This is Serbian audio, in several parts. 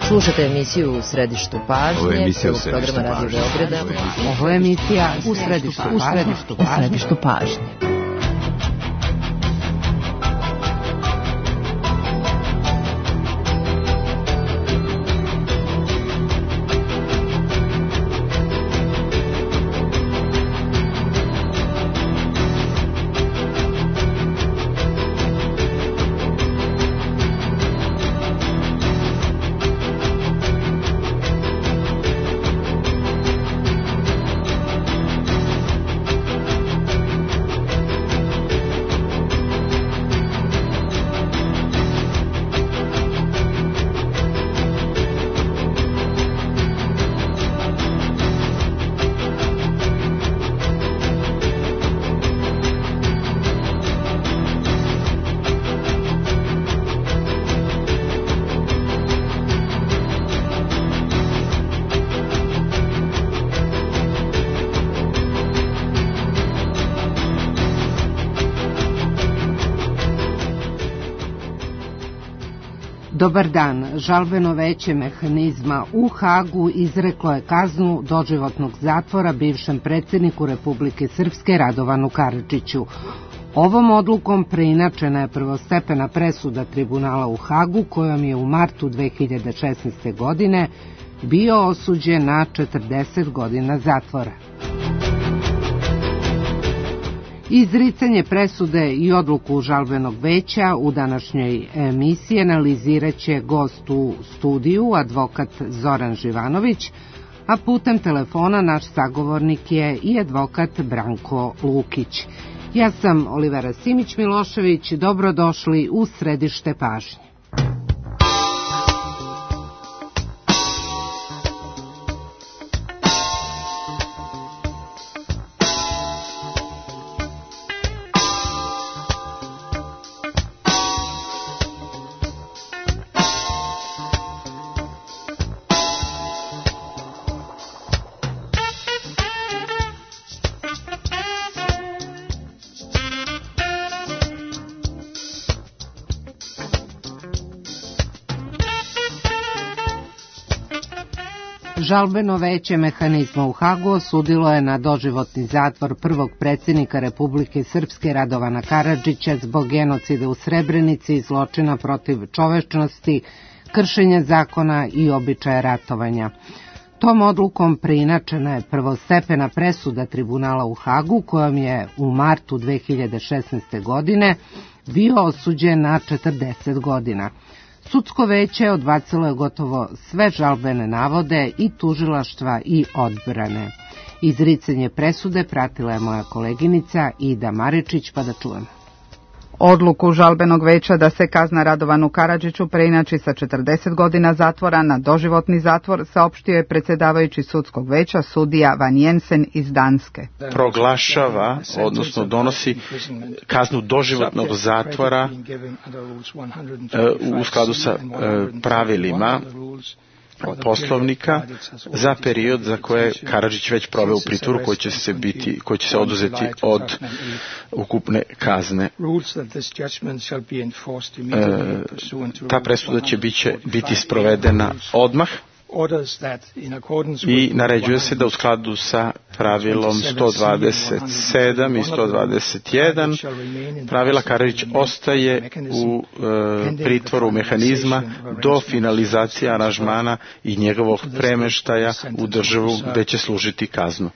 Slušate emisiju U središtu pažnje, prvog programa Radio Beograda. Ovo je emisija U središtu pažnje. Dobar dan. Žalbeno veće mehanizma u Hagu izreklo je kaznu doživotnog zatvora bivšem predsjedniku Republike Srpske Radovanu Karadžiću. Ovom odlukom preinačena je prvostepena presuda tribunala u Hagu, kojom je u martu 2016. godine bio osuđen na 40 godina zatvora. Izricanje presude i odluku žalbenog veća u današnjoj emisiji analiziraće gost u studiju, advokat Zoran Živanović, a putem telefona naš sagovornik je i advokat Branko Lukić. Ja sam Olivera Simić-Milošević, dobrodošli u središte pažnje. Žalbeno veće mehanizma u Hagu osudilo je na doživotni zatvor prvog predsjednika Republike Srpske Radovana Karadžića zbog genocida u Srebrenici i zločina protiv čovečnosti, kršenja zakona i običaja ratovanja. Tom odlukom preinačena je prvostepena presuda tribunala u Hagu, kojom je u martu 2016. godine bio osuđen na 40 godina. Sudsko veće odbacilo je gotovo sve žalbene navode i tužilaštva i odbrane. Izricanje presude pratila je moja koleginica Ida Maričić, pa da čujemo. Odluku žalbenog veća da se kazna Radovanu Karadžiću preinači sa 40 godina zatvora na doživotni zatvor saopštio je predsjedavajući sudskog veća sudija Van Jensen iz Danske. Proglašava, odnosno donosi kaznu doživotnog zatvora u skladu sa pravilima Poslovnika za period za koje Karadžić već proveo u pritvoru, koji će se oduzeti od ukupne kazne. Ta presuda će biti sprovedena odmah i naređuje se da u skladu sa pravilom 127 i 121 pravila Karadžić ostaje u pritvoru mehanizma do finalizacije aranžmana i njegovog premeštaja u državu gde će služiti kaznu.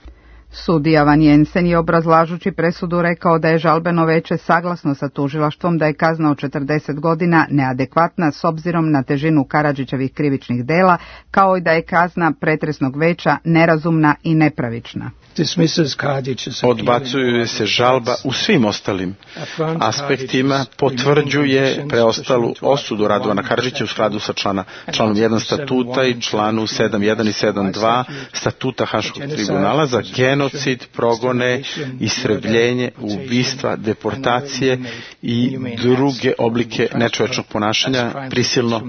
Sudija Van Jensen je obrazlažući presudu rekao da je žalbeno veće saglasno sa tužilaštvom da je kazna od 40 godina neadekvatna s obzirom na težinu Karadžićevih krivičnih dela, kao i da je kazna pretresnog veća nerazumna i nepravična. Odbacuje se žalba u svim ostalim aspektima, potvrđuje preostalu osudu Radovana Karadžića u skladu sa članom 1 statuta i članu 7.1 i 7.2 statuta Haškog tribunala za genocid genocid, progone, istrebljenje, ubistva, deportacije i druge oblike nečovečnog ponašanja, prisilno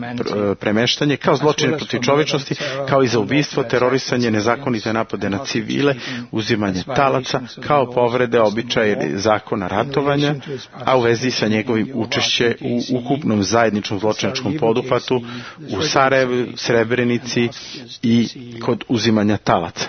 premeštanje, kao zločine protiv čovečnosti, kao i za ubistvo, terorisanje, nezakonite napade na civile, uzimanje talaca, kao povrede običaja ili zakona ratovanja, a u vezi sa njegovim učešće u ukupnom zajedničkom zločinačkom poduhvatu u Sarajevu, Srebrenici i kod uzimanja talaca.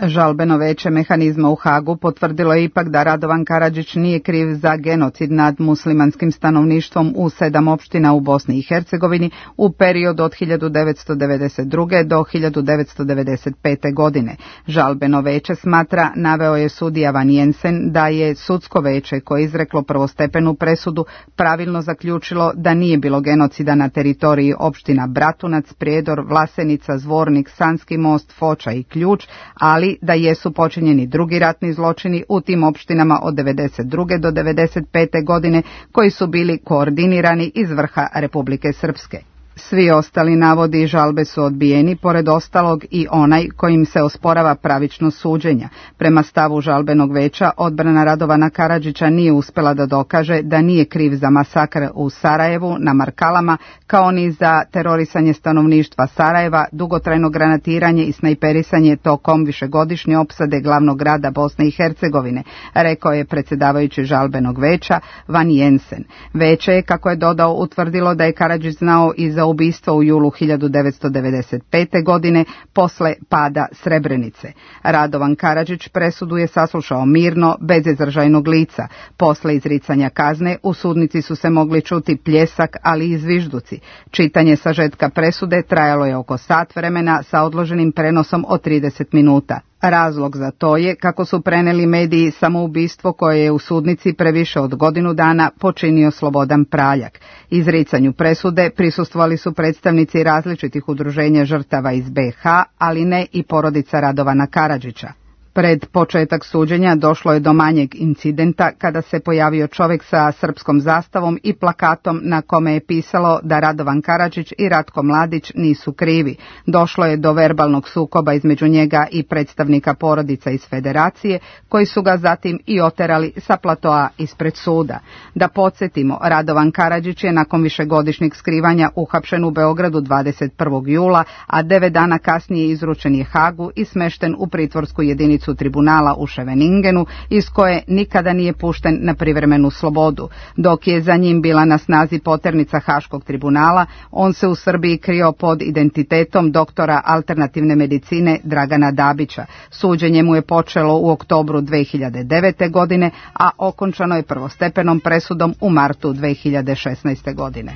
Žalbeno veće mehanizma u Hagu potvrdilo je ipak da Radovan Karadžić nije kriv za genocid nad muslimanskim stanovništvom u 7 opština u Bosni i Hercegovini u periodu od 1992. do 1995. godine. Žalbeno veće smatra, naveo je sudija Van Jensen, da je sudsko veće koje je izreklo prvostepenu presudu pravilno zaključilo da nije bilo genocida na teritoriji opština Bratunac, Prijedor, Vlasenica, Zvornik, Sanski most, Foča i Ključ, ali da jesu počinjeni drugi ratni zločini u tim opštinama od 92. do 95. godine koji su bili koordinirani iz vrha Republike Srpske. Svi ostali navodi i žalbe su odbijeni, pored ostalog i onaj kojim se osporava pravičnost suđenja. Prema stavu žalbenog veća, odbrana Radovana Karadžića nije uspjela da dokaže da nije kriv za masakr u Sarajevu na Markalama, kao ni za terorisanje stanovništva Sarajeva, dugotrajno granatiranje i snajperisanje tokom višegodišnje opsade glavnog grada Bosne i Hercegovine, rekao je predsjedavajući žalbenog veća Van Jensen. Veće je, kako je dodao, utvrdilo da je Karadžić znao i za ubistvo u julu 1995. godine posle pada Srebrenice. Radovan Karadžić presudu je saslušao mirno, bez izražajnog lica. Posle izricanja kazne u sudnici su se mogli čuti pljesak, ali i zvižduci. Čitanje sažetka presude trajalo je oko sat vremena sa odloženim prenosom od 30 minuta. Razlog za to je, kako su preneli mediji, samoubistvo koje je u sudnici previše od godinu dana počinio Slobodan Praljak. Izricanju presude prisustvovali su predstavnici različitih udruženja žrtava iz BiH, ali ne i porodica Radovana Karadžića. Pred početak suđenja došlo je do manjeg incidenta kada se pojavio čovjek sa srpskom zastavom i plakatom na kome je pisalo da Radovan Karadžić i Ratko Mladić nisu krivi. Došlo je do verbalnog sukoba između njega i predstavnika porodica iz Federacije, koji su ga zatim i oterali sa platoa ispred suda. Da podsjetimo, Radovan Karadžić je nakon višegodišnjeg skrivanja uhapšen u Beogradu 21. jula, a 9 dana kasnije izručen je Hagu i smešten u pritvorsku jedinicu tribunala u Scheveningenu, iz koje nikada nije pušten na privremenu slobodu. Dok je za njim bila na snazi poternica Haškog tribunala, on se u Srbiji krio pod identitetom doktora alternativne medicine Dragana Dabića. Suđenje mu je počelo u oktobru 2009. godine, a okončano je prvostepenom presudom u martu 2016. godine.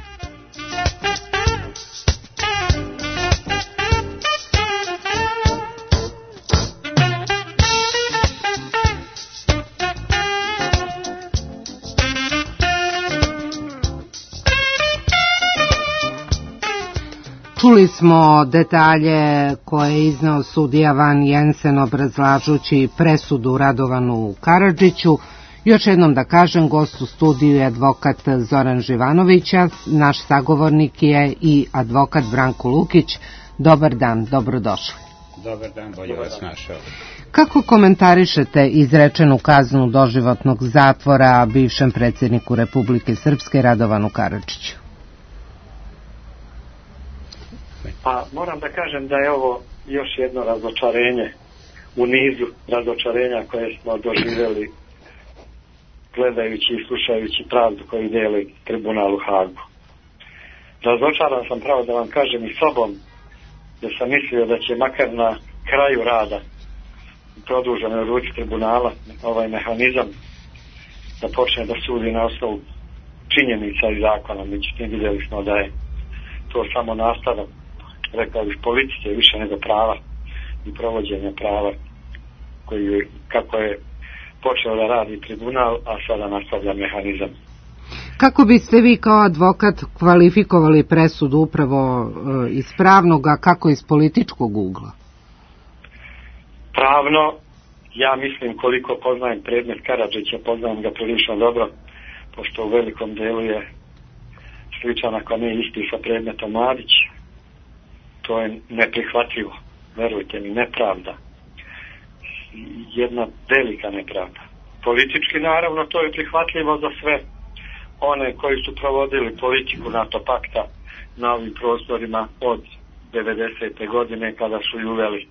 Čuli smo detalje koje je izneo sudija Van Jensen obrazlažući presudu Radovanu Karadžiću. Još jednom da kažem, gost u studiju je advokat Zoran Živanović, naš sagovornik je i advokat Branko Lukić. Dobar dan, dobrodošli. Dobar dan, bolje vas našao. Kako komentarišete izrečenu kaznu doživotnog zatvora bivšem predsjedniku Republike Srpske Radovanu Karadžiću? Pa moram da kažem da je ovo još jedno razočarenje u nizu razočarenja koje smo doživjeli gledajući i slušajući pravdu koju deli tribunal u Hagu. Razočaran sam, pravo da vam kažem, i sobom, da sam mislio da će makar na kraju rada produženoj ruci tribunala ovaj mehanizam da počne da sudi na osnovu činjenica i zakona. Međutim, vidjeli smo da je to samo nastavak, rekao bih, politike više nego prava i provođenja prava koji, kako je počeo da radi tribunal, a sada nastavlja mehanizam. Kako biste vi kao advokat kvalifikovali presudu upravo iz pravnog, a kako iz političkog ugla? Pravno, ja mislim, koliko poznajem predmet Karadžića, poznajem ga prilično dobro, pošto u velikom delu je sličan, ako ne isti, sa predmetom Mladić. To je neprihvatljivo, verujte mi, nepravda. jedna velika nepravda. Politički naravno to je prihvatljivo za sve one koji su provodili politiku NATO pakta na ovim prostorima od 90. godine kada su i uveli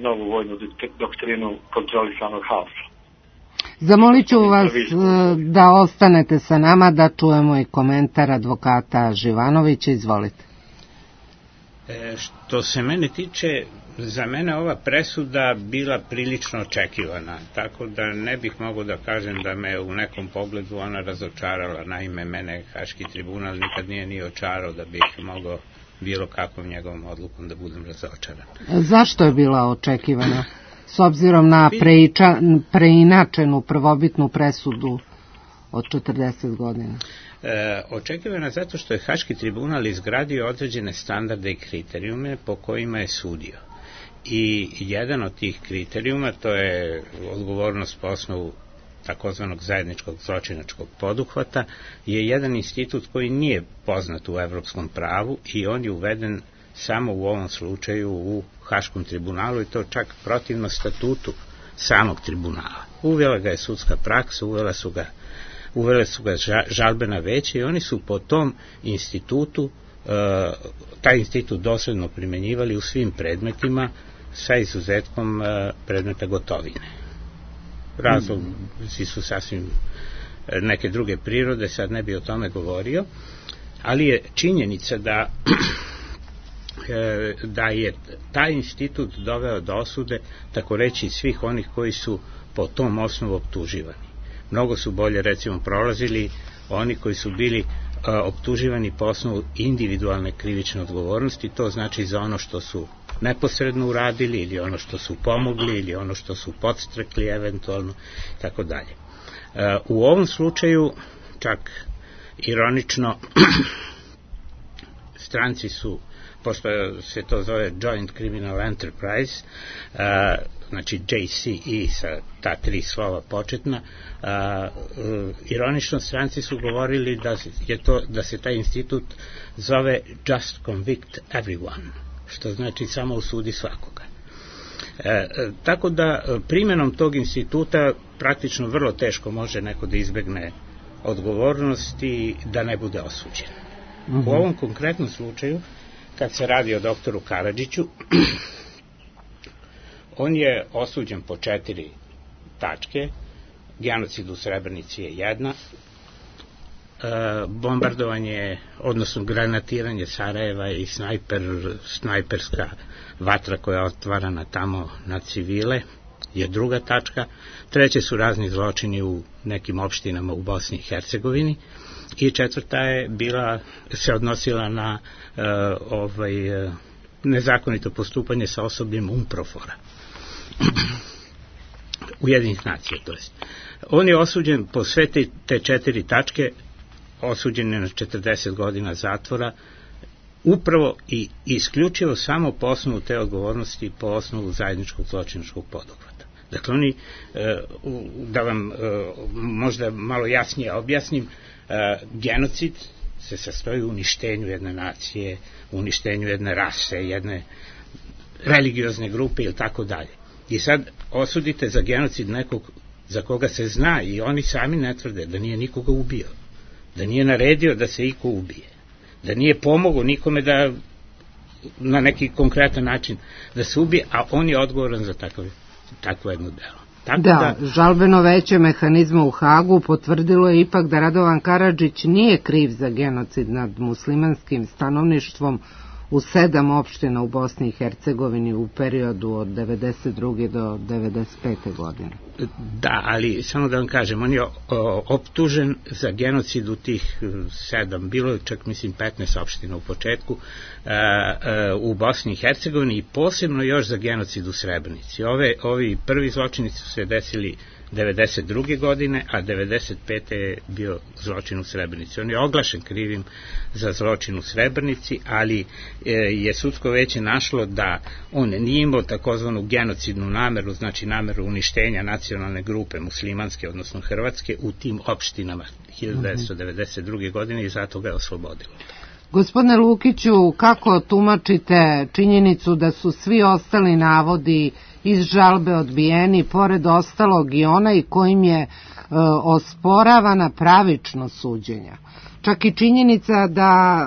novu vojnu doktrinu kontrolisanog haosa. Zamolit ću vas da ostanete sa nama, da čujemo i komentar advokata Živanovića. Izvolite. Što se mene tiče, za mene ova presuda bila prilično očekivana, tako da ne bih mogao da kažem da me u nekom pogledu ona razočarala. Naime, mene Haški tribunal nikad nije očarao da bih mogao bilo kakvom njegovom odlukom da budem razočaran. Zašto je bila očekivana? S obzirom na preinačenu prvobitnu presudu od 40 godina. Očekivana zato što je Haški tribunal izgradio određene standarde i kriterijume po kojima je sudio. I jedan od tih kriterijuma, to je odgovornost po osnovu takozvanog zajedničkog zločinačkog poduhvata, je jedan institut koji nije poznat u evropskom pravu i on je uveden samo u ovom slučaju u Haškom tribunalu i to čak protivno statutu samog tribunala. Uvela ga je sudska praksa, uvele su ga žalbena veća i oni su po tom institutu, taj institut dosledno primenjivali u svim predmetima sa izuzetkom predmeta gotovine. Razlozi su sasvim neke druge prirode, sad ne bi o tome govorio, ali je činjenica da je taj institut doveo do osude, tako reći, svih onih koji su po tom osnovu optuživani. Mnogo su bolje, recimo, prolazili oni koji su bili optuživani po osnovu individualne krivične odgovornosti, to znači za ono što su neposredno uradili ili ono što su pomogli ili ono što su podstrekli eventualno, tako dalje. U ovom slučaju, čak ironično, stranci su, pošto se to zove Joint Criminal Enterprise, znači JCE sa ta 3 slova početna, ironično stranci su govorili da se taj institut zove Just Convict Everyone, što znači samo osudi svakoga. Tako da primjenom tog instituta praktično vrlo teško može neko da izbegne odgovornost i da ne bude osuđen. U ovom konkretnom slučaju, kad se radi o doktoru Karadžiću, on je osuđen po 4 tačke. Genocid u Srebrenici je jedna, bombardovanje, odnosno granatiranje Sarajeva i snajperska vatra koja je otvarana tamo na civile je druga tačka. Treće su razni zločini u nekim opštinama u Bosni i Hercegovini i četvrta je se odnosila na nezakonito postupanje sa osobljem UNPROFOR-a. Ujedinjenih nacija, to jest. On je osuđen po sve te 4 tačke, osuđen je na 40 godina zatvora, upravo i isključivo samo po osnovu te odgovornosti, po osnovu zajedničkog zločinačkog poduhvata. Dakle, oni, da vam možda malo jasnije objasnim, genocid se sastoji u uništenju jedne nacije, u uništenju jedne rase, jedne religiozne grupe ili tako dalje. I sad osudite za genocid nekog za koga se zna i oni sami ne tvrde da nije nikoga ubio, da nije naredio da se iko ubije, da nije pomogao nikome da na neki konkretan način da se ubije, a on je odgovoran za takvo jedno delo. Da, žalbeno veće mehanizma u Hagu potvrdilo je ipak da Radovan Karadžić nije kriv za genocid nad muslimanskim stanovništvom u 7 opština u Bosni i Hercegovini u periodu od 92. do 95. godine. Da, ali samo da vam kažem, on je optužen za genocid u tih 7, bilo je čak mislim 15 opština u početku, u Bosni i Hercegovini i posebno još za genocid u Srebrenici. Ovi prvi zločini su se desili 92. godine, a 95. je bio zločin u Srebrenici. On je oglašen krivim za zločin u Srebrenici, ali je sudsko veće našlo da on nije imao takozvanu genocidnu nameru, znači nameru uništenja nacionalne grupe muslimanske, odnosno hrvatske, u tim opštinama 1992. godine i zato ga je oslobodilo. Gospodine Lukiću, kako tumačite činjenicu da su svi ostali navodi iz žalbe odbijeni, pored ostalog i onaj kojim je osporavana pravičnost suđenja. Čak i činjenica da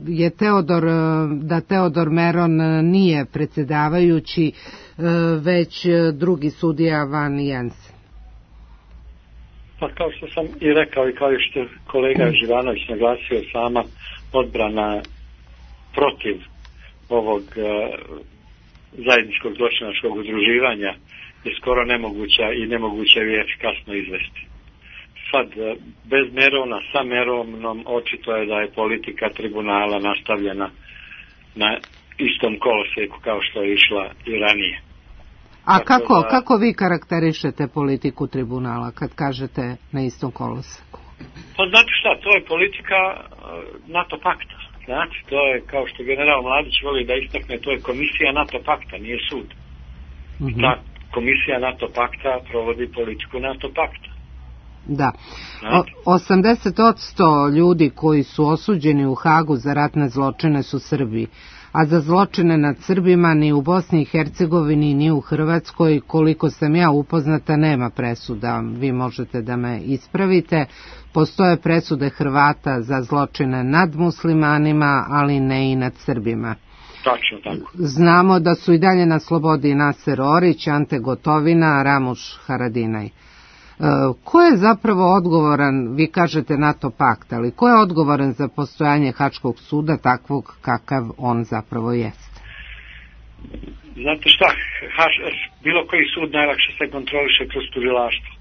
je Teodor Meron nije predsjedavajući, već drugi sudija Van Jensen. Pa kao što sam i rekao i kao što je kolega Živanović naglasio, sama odbrana protiv ovog zajedničkog zločinačkog udruživanja je skoro nemoguća i nemoguće je efikasno izvesti. Sad, bez Merona, sa Meronom, očito je da je politika tribunala nastavljena na istom kolosijeku kao što je išla i ranije. A kako vi karakterišete politiku tribunala kad kažete na istom koloseku? Pa znate šta, to je politika NATO pakta. Znači, to je, kao što general Mladić voli da istakne, to je komisija NATO pakta, nije sud. Ta komisija NATO pakta provodi politiku NATO pakta. Da. 80% ljudi koji su osuđeni u Hagu za ratne zločine su Srbi, a za zločine nad Srbima ni u Bosni i Hercegovini ni u Hrvatskoj, koliko sam ja upoznata, nema presuda. Vi možete da me ispravite. Postoje presude Hrvata za zločine nad muslimanima, ali ne i nad Srbima. Tačno tako. Znamo da su i dalje na slobodi Naser Orić, Ante Gotovina, Ramuš Haradinaj. Ko je zapravo odgovoran, vi kažete NATO pakt, ali ko je odgovoran za postojanje Haškog suda takvog kakav on zapravo jeste? Znate šta, bilo koji sud najlakše se kontroliše kroz tužilaštvo.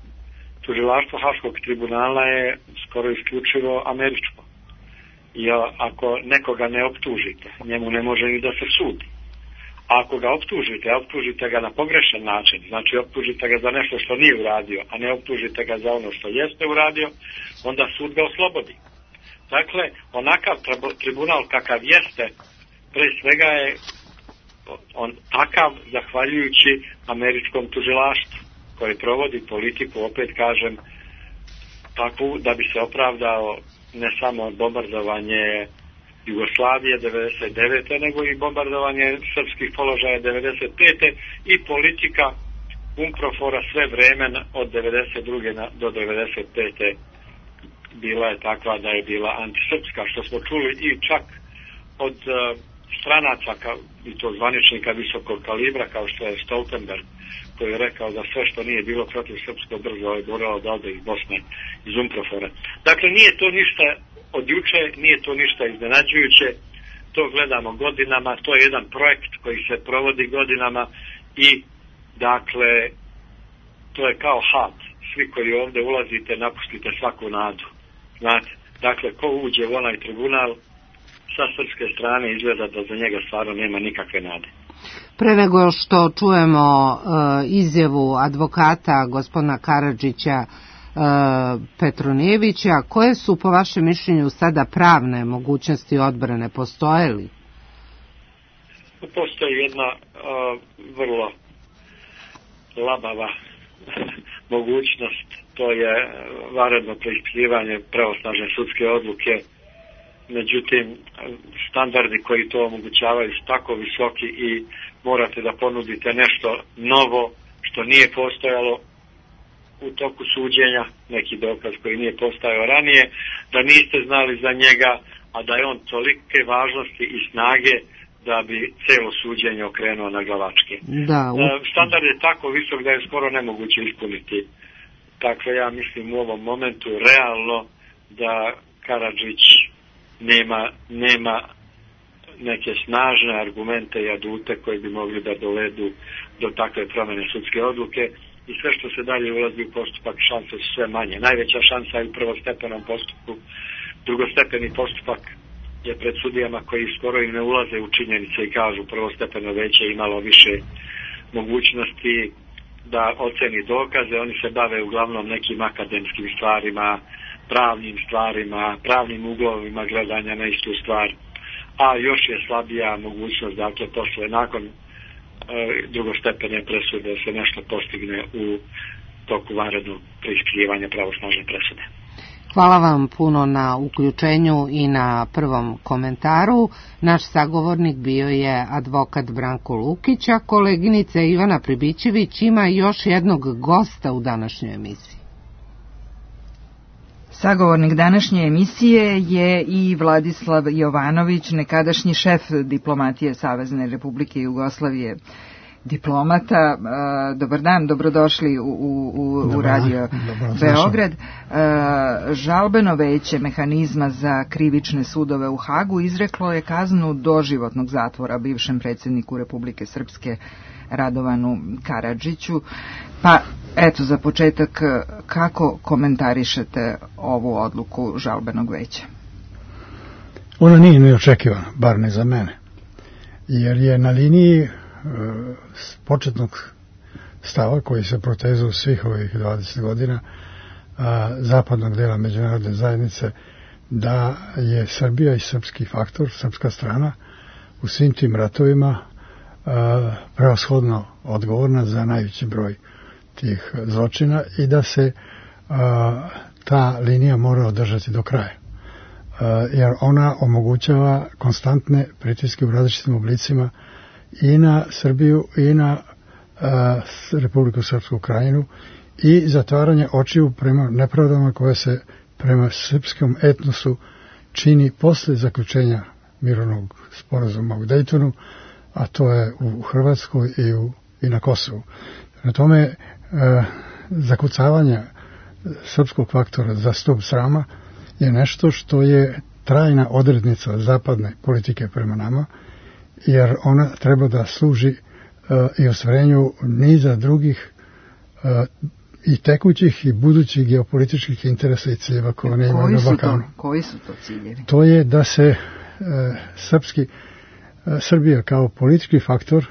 Tužilaštvo Haškog tribunala je skoro isključivo američko. I ako nekoga ne optužite, njemu ne može ni da se sudi. A ako ga optužite ga na pogrešan način, znači optužite ga za nešto što nije uradio, a ne optužite ga za ono što jeste uradio, onda sud ga oslobodi. Dakle, onakav tribunal kakav jeste, pre svega je on takav zahvaljujući američkom tužilaštvu, koje provodi politiku, opet kažem, takvu da bi se opravdao ne samo bombardovanje Jugoslavije 99. nego i bombardovanje srpskih položaja 95. i politika UNPROFOR-a sve vremena od 92. do 95. bila je takva da je bila antisrpska, što smo čuli i čak od stranaca i to zvaničnika visokog kalibra kao što je Stoltenberg, koji je rekao da sve što nije bilo protiv srpsko brzo je moralo da ode iz Bosne, iz UNPROFOR-a. Dakle, nije to ništa od juče, nije to ništa iznenađujuće, to gledamo godinama, to je jedan projekt koji se provodi godinama i dakle to je kao had, svi koji ovdje ulazite napustite svaku nadu, znate, dakle ko uđe u onaj tribunal sa srpske strane izgleda da za njega stvarno nema nikakve nade. Pre nego što čujemo izjavu advokata gospodina Karadžića Petronijevića, koje su po vašem mišljenju sada pravne mogućnosti odbrane, postoje li? Postoji jedna vrlo labava mogućnost, to je vanredno preispitivanje pravosnažne sudske odluke. Međutim, standardi koji to omogućavaju su tako visoki i morate da ponudite nešto novo što nije postojalo u toku suđenja, neki dokaz koji nije postojao ranije, da niste znali za njega, a da je on tolike važnosti i snage da bi celo suđenje okrenuo na glavačke. Standard je tako visok da je skoro nemoguće ispuniti. Dakle, ja mislim u ovom momentu realno da Karadžić nema neke snažne argumente i adute koji bi mogli da dovedu do takve promjene sudske odluke i sve što se dalje ulazi u postupak, šanse su sve manje. Najveća šansa je u prvostepenom postupku. Drugostepeni postupak je pred sudijama koji skoro i ne ulaze u činjenice i kažu prvostepeno veće imalo više mogućnosti da oceni dokaze. Oni se bave uglavnom nekim akademskim stvarima, pravnim stvarima, pravnim uglovima gledanja na istu stvar, a još je slabija mogućnost, dakle, posle, nakon drugostepene presude se nešto postigne u toku vanrednog preispitivanja pravosnažne presude. Hvala vam puno na uključenju i na prvom komentaru. Naš sagovornik bio je advokat Branko Lukić, a koleginica Ivana Pribićević ima još jednog gosta u današnjoj emisiji. Sagovornik današnje emisije je i Vladislav Jovanović, nekadašnji šef diplomatije Savezne Republike Jugoslavije, diplomata. Dobar dan, dobrodošli u Radio Beograd. Žalbeno veće mehanizma za krivične sudove u Hagu izreklo je kaznu doživotnog zatvora bivšem predsjedniku Republike Srpske Radovanu Karadžiću. Pa eto, za početak, kako komentarišete ovu odluku žalbenog veća? Ona nije neočekivana, bar ne za mene, jer je na liniji početnog stava koji se protezao svih ovih 20 godina zapadnog dela međunarodne zajednice, da je Srbija i srpski faktor, srpska strana u svim tim ratovima prevashodno odgovorna za najveći broj tih zločina i da se ta linija mora održati do kraja. Jer ona omogućava konstantne pritiske u različitim oblicima i na Srbiju i na Republiku Srpsku Krajinu i zatvaranje očiju prema nepravdama koje se prema srpskom etnosu čini posle zaključenja mirovnog sporazuma u Dejtonu, a to je u Hrvatskoj i na Kosovu. Na tome zakucavanje srpskog faktora za stup srama je nešto što je trajna odrednica zapadne politike prema nama, jer ona treba da služi i ostvarenju niza drugih i tekućih i budućih geopolitičkih interesa i ciljeva koje ne imaju na Balkanu. Koji su to ciljevi? To je da se Srbija kao politički faktor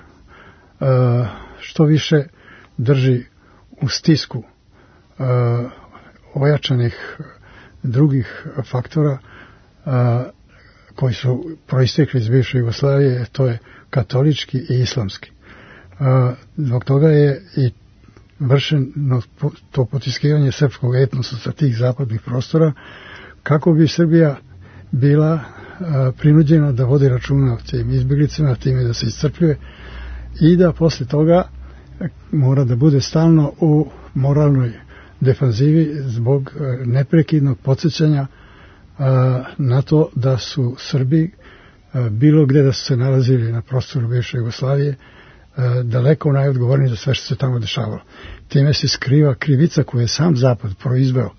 što više drži u stisku ojačanih drugih faktora koji su proistekli iz bivše Jugoslavije, to je katolički i islamski. Zbog toga je i vršeno to potiskivanje srpskog etnosa sa tih zapadnih prostora, kako bi Srbija bila prinuđena da vodi računa o tim izbjeglicama, time da se iscrpljuje i da posle toga mora da bude stalno u moralnoj defanzivi zbog neprekidnog podsjećanja na to da su Srbi bilo gde da su se nalazili na prostoru bivše Jugoslavije daleko najodgovorniji za sve što se tamo dešavalo. Time se skriva krivica koju je sam Zapad proizveo,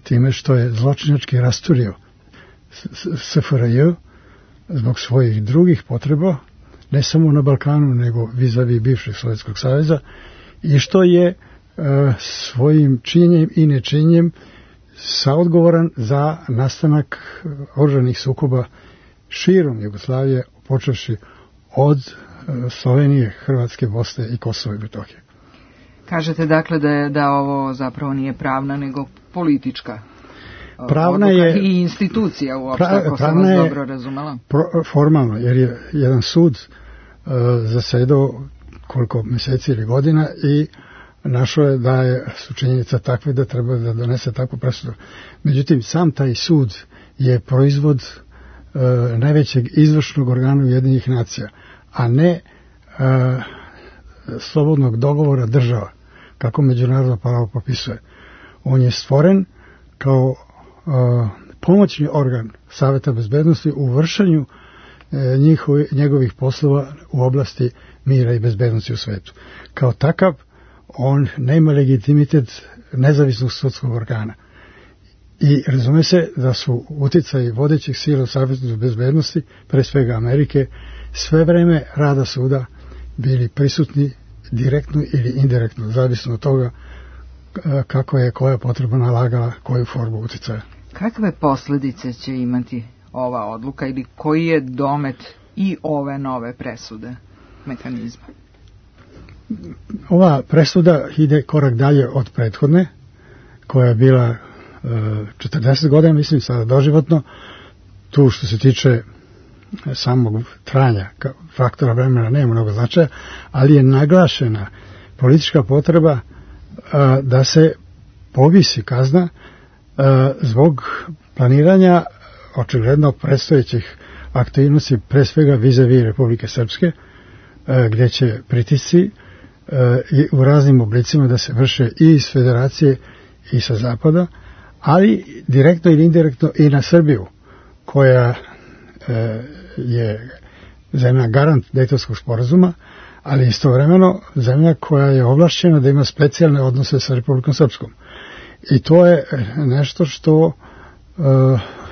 time što je zločinački rasturio SFRJ zbog svojih drugih potreba, ne samo na Balkanu, nego vis-a-vis bivšeg Sovjetskog saveza, i što je svojim činjenjem i nečinjenjem saodgovoran za nastanak oružanih sukoba širom Jugoslavije, počevši od Slovenije, Hrvatske, Bosne i Kosova i Metohije. Kažete dakle da ovo zapravo nije pravna nego politička pravna je i institucija uopšte, ako sam vas dobro razumela. Formalno, jer je jedan sud zasedao koliko meseci ili godina i našao je da su činjenica takve da treba da donese takvu presudu. Međutim, sam taj sud je proizvod najvećeg izvršnog organa Ujedinjenih nacija, a ne slobodnog dogovora država, kako međunarodno pravo propisuje. On je stvoren kao pomoćni organ Saveta bezbednosti u vršenju njegovih poslova u oblasti mira i bezbednosti u svetu. Kao takav, on nema legitimitet nezavisnog sudskog organa. I razume se da su uticaji vodećih sila u Savetu bezbednosti, pre svega Amerike, sve vreme rada suda bili prisutni direktno ili indirektno, zavisno od toga kako je koja potreba nalagala koju formu uticaja. Kakve posljedice će imati ova odluka ili koji je domet i ove nove presude mehanizma? Ova presuda ide korak dalje od prethodne, koja je bila 40 godina, mislim, sada doživotno. Tu što se tiče samog trajanja faktora vremena nema mnogo značaja, ali je naglašena politička potreba da se povisi kazna zbog planiranja očigledno predstojećih aktivnosti, pre svega vis-a-vis Republike Srpske, gdje će pritisci u raznim oblicima da se vrše i iz Federacije i sa Zapada, ali direktno ili indirektno i na Srbiju, koja je zemlja garant Dejtonskog sporazuma, ali istovremeno zemlja koja je ovlašćena da ima specijalne odnose sa Republikom Srpskom. I to je nešto što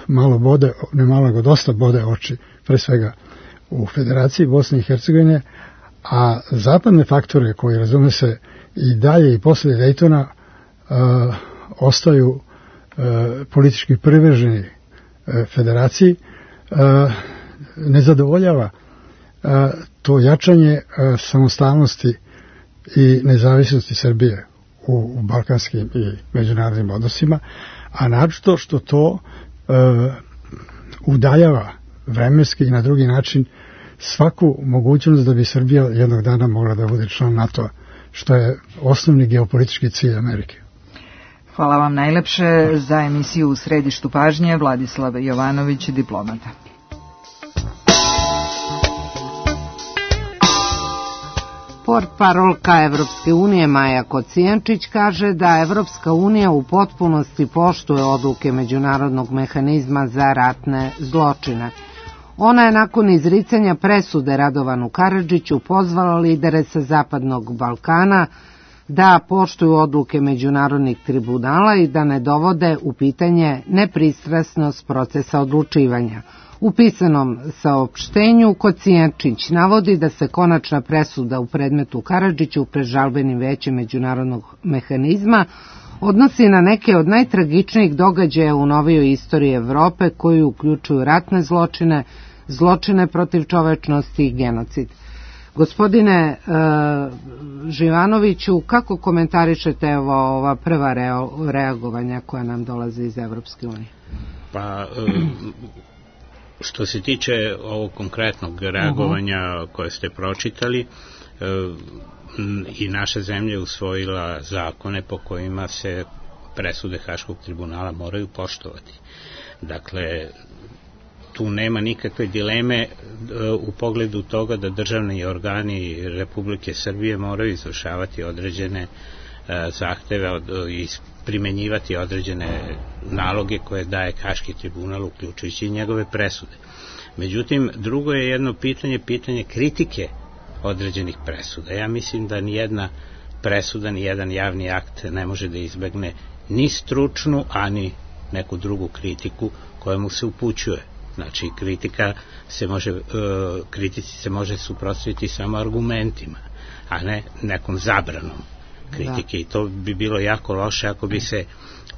malo bode, ne malo nego dosta bode oči, pre svega u Federaciji Bosne i Hercegovine, a zapadne faktore koji, razume se, i dalje i posle Dejtona ostaju politički privrženi Federaciji, ne zadovoljava to jačanje samostalnosti i nezavisnosti Srbije u balkanskim i međunarodnim odnosima, a naročito što to udaljava vremenski i na drugi način svaku mogućnost da bi Srbija jednog dana mogla da bude član NATO-a, što je osnovni geopolitički cilj Amerike. Hvala vam najlepše za emisiju U središtu pažnje. Vladislav Jovanović, diplomata. Portparolka Evropske unije Maja Kocijančić kaže da Evropska unija u potpunosti poštuje odluke Međunarodnog mehanizma za ratne zločine. Ona je nakon izricanja presude Radovanu Karadžiću pozvala lidere sa Zapadnog Balkana da poštuju odluke međunarodnih tribunala i da ne dovode u pitanje nepristrasnost procesa odlučivanja. U pisanom saopštenju Kocijančić navodi da se konačna presuda u predmetu Karadžiću pred žalbenim većem Međunarodnog mehanizma odnosi na neke od najtragičnijih događaja u novijoj istoriji Evrope, koji uključuju ratne zločine, zločine protiv čovečnosti i genocid. Gospodine Živanoviću, kako komentarišete ova prva reagovanja koja nam dolaze iz Evropske unije? Pa, što se tiče ovog konkretnog reagovanja koje ste pročitali, i naša zemlja je usvojila zakone po kojima se presude Haškog tribunala moraju poštovati. Dakle, tu nema nikakve dileme u pogledu toga da državni organi Republike Srbije moraju izvršavati određene zahteve i primenjivati određene naloge koje daje Haški tribunal, uključujući i njegove presude. Međutim, drugo je jedno pitanje kritike određenih presuda. Ja mislim da nijedna presuda, nijedan javni akt ne može da izbegne ni stručnu, ani neku drugu kritiku koja mu se upućuje. Znači, kritici se može suprotstaviti samo argumentima, a ne nekom zabranom kritike. I to bi bilo jako loše ako bi se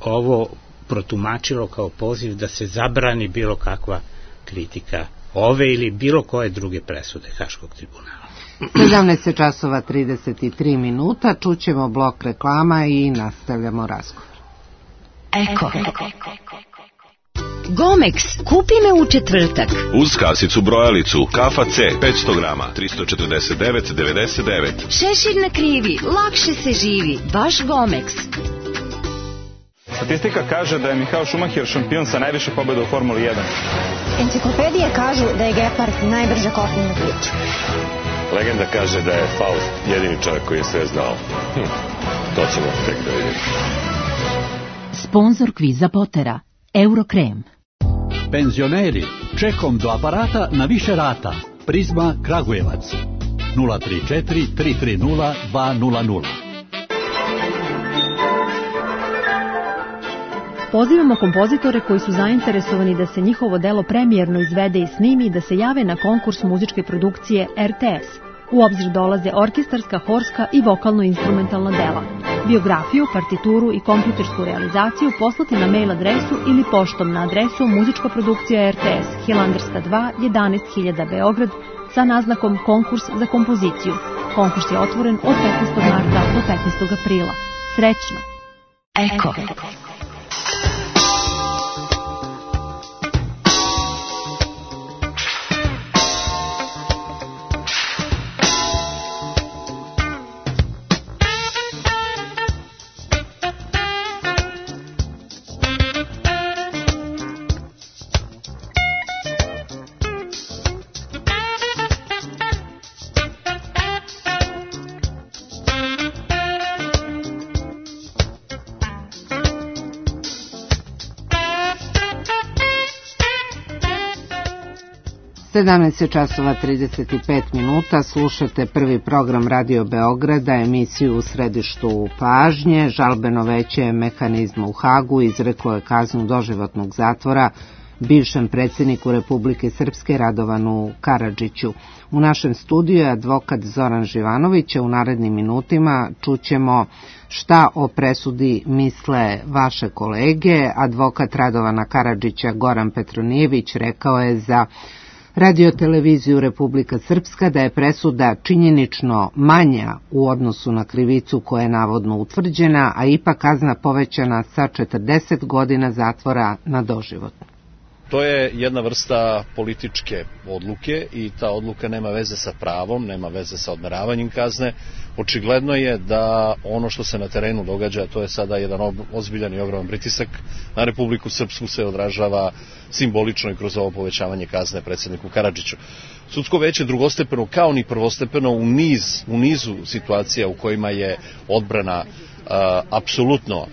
ovo protumačilo kao poziv da se zabrani bilo kakva kritika ove ili bilo koje druge presude Haškog tribunala. 17:33, čućemo blok reklama i nastavljamo razgovor. Eko. Gomex, kupi me u četvrtak. Uz kasicu brojalicu, kafa C, 500 grama, 349,99. Šešir na krivi, lakše se živi, baš Gomex. Statistika kaže da je Michael Schumacher šampion sa najviše pobjeda u Formuli 1. Enciklopedije kažu da je Gepard najbrža kopnena priča. Legenda kaže da je Faust jedini čovjek koji je sve znao. To ćemo tek da vidimo. Sponzor kviza Potera, Eurokrem. Penzioneri, čekom do aparata na više rata. Prizma Kragujevac. 034 330 200. Pozivamo kompozitore koji su zainteresovani da se njihovo delo premijerno izvede i snimi, da se jave na konkurs muzičke produkcije RTS. U obzir dolaze orkestarska, horska i vokalno-instrumentalna dela. Biografiju, partituru i kompjutersku realizaciju poslati na mail adresu ili poštom na adresu muzička produkcija RTS, Hilandarska 2, 11.000 Beograd, sa naznakom konkurs za kompoziciju. Konkurs je otvoren od 15. marta do 15. aprila. Srećno! Eko. 17 časova 35 minuta, slušate prvi program Radio Beograda, emisiju U središtu pažnje. Žalbeno veće mehanizma u Hagu izreklo je kaznu doživotnog zatvora bivšem predsjedniku Republike Srpske Radovanu Karadžiću. U našem studiju je advokat Zoran Živanović, a u narednim minutima čućemo šta o presudi misle vaše kolege. Advokat Radovana Karadžića Goran Petronijević rekao je za Radio-televiziju Republika Srpska da je presuda činjenično manja u odnosu na krivicu koja je navodno utvrđena, a ipak kazna povećana sa 40 godina zatvora na doživotno. To je jedna vrsta političke odluke i ta odluka nema veze sa pravom, nema veze sa odmeravanjem kazne. Očigledno je da ono što se na terenu događa, to je sada jedan ozbiljan i ogroman pritisak na Republiku Srpsku, se odražava simbolično i kroz ovo povećavanje kazne predsjedniku Karadžiću. Sudsko veće drugostepeno kao ni prvostepeno u nizu situacija u kojima je odbrana apsolutno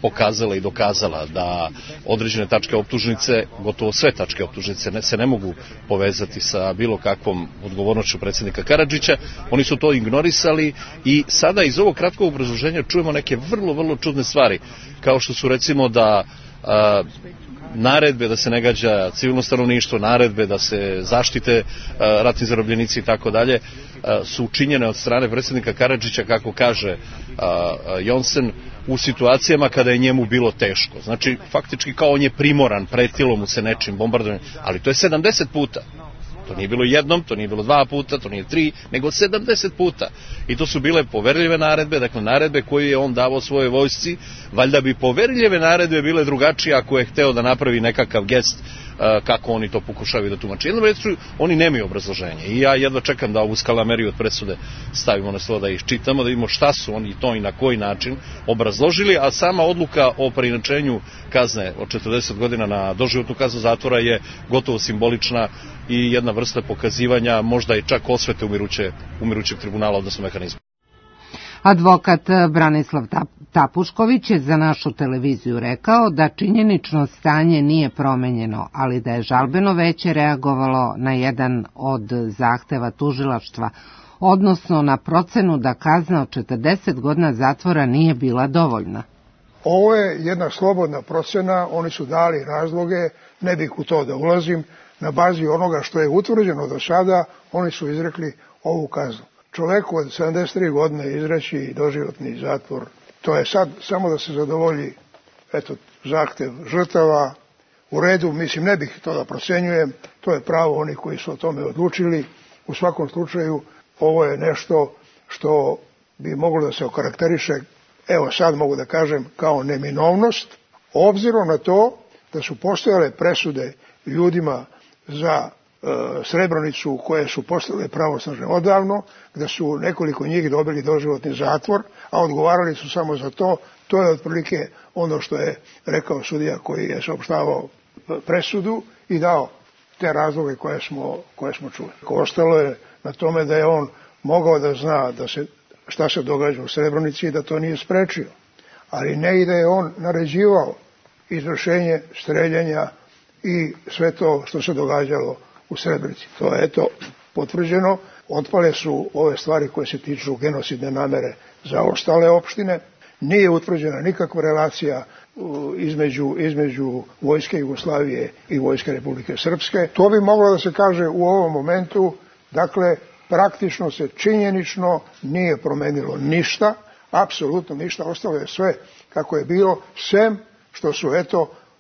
pokazala i dokazala da određene tačke optužnice, gotovo sve tačke optužnice se ne mogu povezati sa bilo kakvom odgovornošću predsjednika Karadžića. Oni su to ignorisali i sada iz ovog kratkog obrazloženja čujemo neke vrlo čudne stvari, kao što su recimo da naredbe da se ne gađa civilno stanovništvo, naredbe da se zaštite ratni zarobljenici i tako dalje, su učinjene od strane predsjednika Karadžića, kako kaže Jonsen, u situacijama kada je njemu bilo teško. Znači, faktički kao on je primoran, pretilo mu se nečim bombardovanjem, ali to je 70 puta. To nije bilo jednom, to nije bilo 2 puta, to nije 3, nego 70 puta. I to su bile poverljive naredbe, dakle naredbe koje je on davao svojoj vojsci. Valjda bi poverljive naredbe bile drugačije ako je hteo da napravi nekakav gest kako oni to pokušavaju da tumače. Jednom rečju, oni nemaju obrazloženje i ja jedva čekam da ovu skalameriju od presude stavimo na stol, da iščitamo, da vidimo šta su oni to i na koji način obrazložili, a sama odluka o preinačenju kazne od 40 godina na doživotnu kaznu zatvora je gotovo simbolična i jedna vrsta pokazivanja, možda i čak osvete umirućeg tribunala, odnosno mehanizma. Advokat Branislav Tapušković je za našu televiziju rekao da činjenično stanje nije promenjeno, ali da je žalbeno veće reagovalo na jedan od zahteva tužilaštva, odnosno na procenu da kazna od 40 godina zatvora nije bila dovoljna. Ovo je jedna slobodna procena, oni su dali razloge, ne bih u to da ulazim, na bazi onoga što je utvrđeno do sada, oni su izrekli ovu kaznu. Čoveku od 73 godine izreći doživotni zatvor, to je sad samo da se zadovolji zahtev žrtava, u redu, mislim ne bih to da procenjujem, to je pravo onih koji su o tome odlučili. U svakom slučaju ovo je nešto što bi moglo da se okarakteriše, evo sad mogu da kažem, kao neminovnost, obzirom na to da su postojale presude ljudima za Srebrenicu koje su postale pravosnažne odavno, da su nekoliko njih dobili doživotni zatvor, a odgovarali su samo za to. To je otprilike ono što je rekao sudija koji je saopštavao presudu i dao te razloge koje smo čuli. Ostalo je na tome da je on mogao da zna šta se događa u Srebrenici i da to nije sprečio, ali ne i da je on naređivao izvršenje streljanja i sve to što se događalo u Srebrenici. To je potvrđeno. Otpale su ove stvari koje se tiču genocidne namere za ostale opštine. Nije utvrđena nikakva relacija između vojske Jugoslavije i vojske Republike Srpske. To bi moglo da se kaže u ovom momentu. Dakle, praktično se činjenično nije promenilo ništa, apsolutno ništa, ostalo je sve kako je bilo, sem što su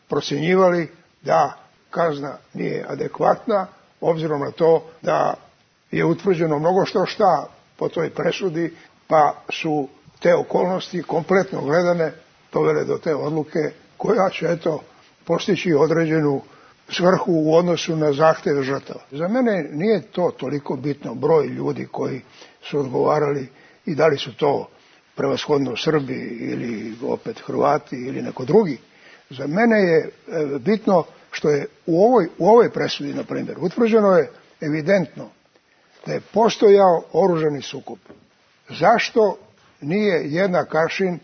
procjenjivali da kazna nije adekvatna, obzirom na to da je utvrđeno mnogo šta po toj presudi, pa su te okolnosti kompletno gledane dovele do te odluke koja će postići određenu svrhu u odnosu na zahteve žrtava. Za mene nije to toliko bitno broj ljudi koji su odgovarali i da li su to prevashodno Srbi ili opet Hrvati ili neko drugi. Za mene je bitno što je u ovoj presudi, na primjer, utvrđeno je evidentno da je postojao oružani sukob. Zašto nije jednak aršin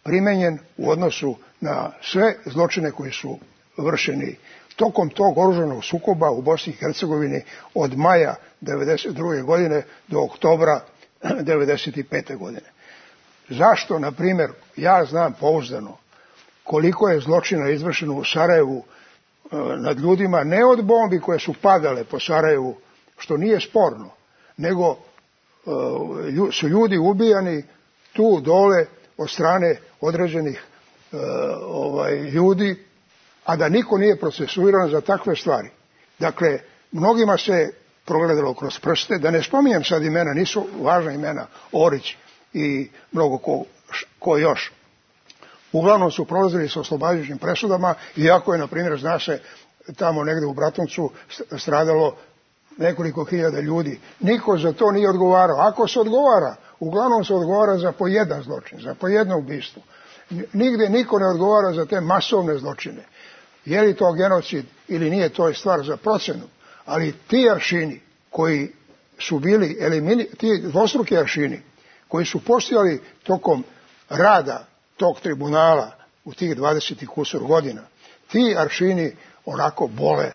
primenjen u odnosu na sve zločine koji su vršeni tokom tog oružanog sukoba u Bosni i Hercegovini od maja 1992. godine do oktobra 1995. godine. Zašto, na primjer, ja znam pouzdano koliko je zločina izvršeno u Sarajevu nad ljudima, ne od bombi koje su padale po Sarajevu, što nije sporno, nego su ljudi ubijani tu dole od strane određenih ljudi, a da niko nije procesuiran za takve stvari. Dakle, mnogima se progledalo kroz prste, da ne spominjem sad imena, nisu važna imena, Orić i mnogo ko još. Uglavnom su prolazili sa oslobađajućim presudama, iako je, na primjer, zna se, tamo negde u Bratuncu stradalo nekoliko hiljada ljudi. Niko za to nije odgovarao. Ako se odgovara, uglavnom se odgovara za po jedan zločin, za po jedno ubistvo. Nigde niko ne odgovara za te masovne zločine. Je li to genocid ili nije, to je stvar za procenu. Ali ti aršini koji su bili ti dvostruki aršini koji su postojali tokom rada tog tribunala u tih 20 i kusur godina, ti aršini onako bole.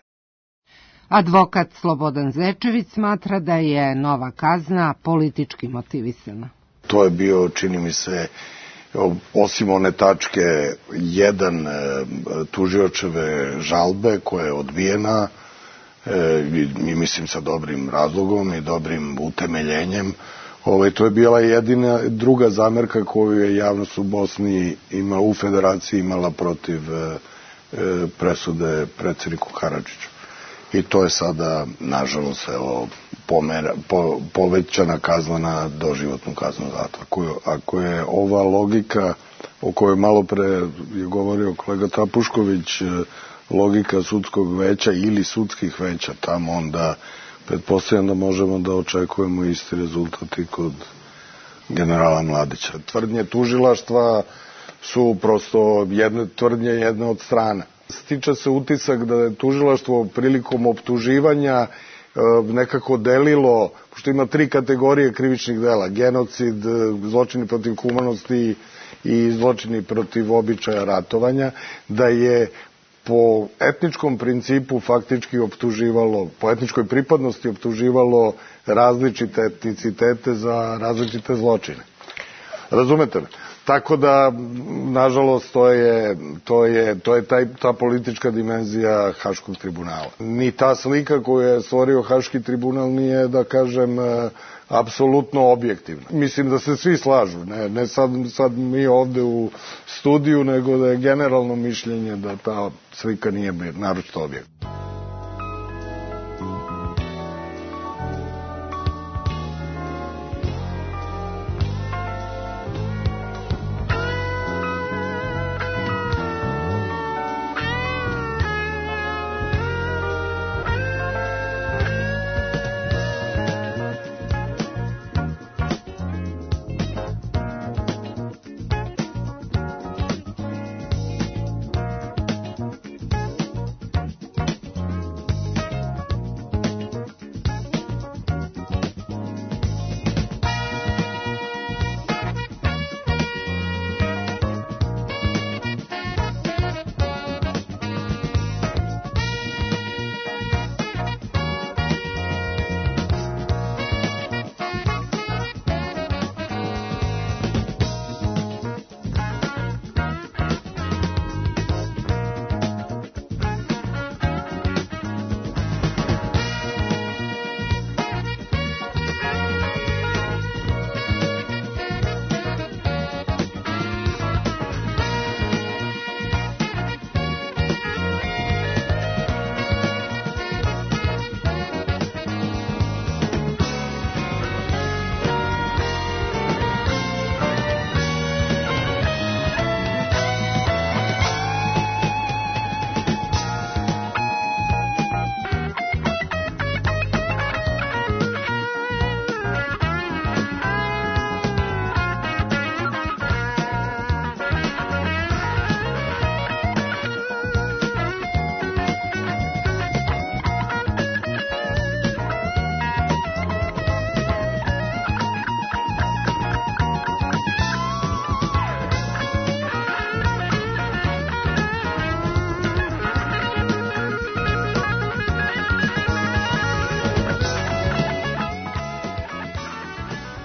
Advokat Slobodan Zečević smatra da je nova kazna politički motivisana. To je bio, čini mi se, osim one tačke 1 tužiočeve žalbe koja je odbijena, i mislim sa dobrim razlogom i dobrim utemeljenjem. To je bila jedina druga zamerka koju je javnost u Bosni u Federaciji imala protiv presude predsjedniku Karadžiću. I to je sada, nažalost, povećana kazna na doživotnu kaznu zatvora. Ako je ova logika o kojoj malo pre je govorio kolega Trapušković, logika sudskog veća ili sudskih veća tamo, onda pretpostavljam da možemo da očekujemo isti rezultat i kod generala Mladića. Tvrdnje tužilaštva su prosto tvrdnje jedne od strana. Stiče se utisak da je tužilaštvo prilikom optuživanja nekako delilo, pošto ima 3 kategorije krivičnih dela, genocid, zločini protiv humanosti i zločini protiv običaja ratovanja, da je po etničkom principu faktički optuživalo, po etničkoj pripadnosti optuživalo različite etnicitete za različite zločine. Razumete me? Tako da, nažalost, to je ta politička dimenzija Haškog tribunala. Ni ta slika koju je stvorio Haški tribunal nije, da kažem, apsolutno objektivna. Mislim da se svi slažu, ne sad mi ovde u studiju, nego da je generalno mišljenje da ta slika nije naročito objektivna.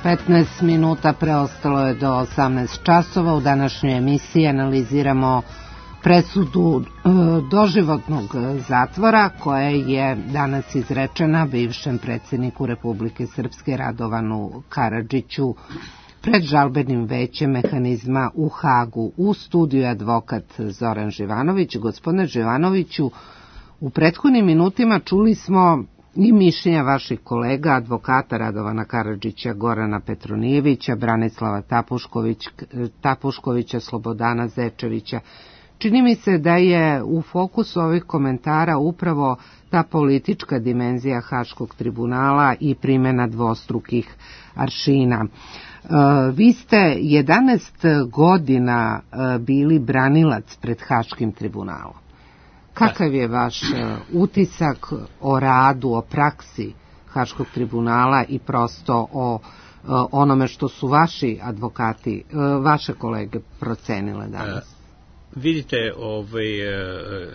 15 minuta preostalo je do 18 časova. U današnjoj emisiji analiziramo presudu doživotnog zatvora koja je danas izrečena bivšem predsjedniku Republike Srpske Radovanu Karadžiću pred žalbenim većem mehanizma u Hagu. U studiju je advokat Zoran Živanović. Gospodine Živanoviću, u prethodnim minutima čuli smo i mišljenja vaših kolega, advokata Radovana Karadžića, Gorana Petronijevića, Branislava Tapuškovića, Slobodana Zečevića. Čini mi se da je u fokusu ovih komentara upravo ta politička dimenzija Haškog tribunala i primjena dvostrukih aršina. Vi ste 11 godina bili branilac pred Haškim tribunalom. Kakav je vaš utisak o radu, o praksi Haškog tribunala i prosto o onome što su vaši advokati, vaše kolege procenile danas? Vidite,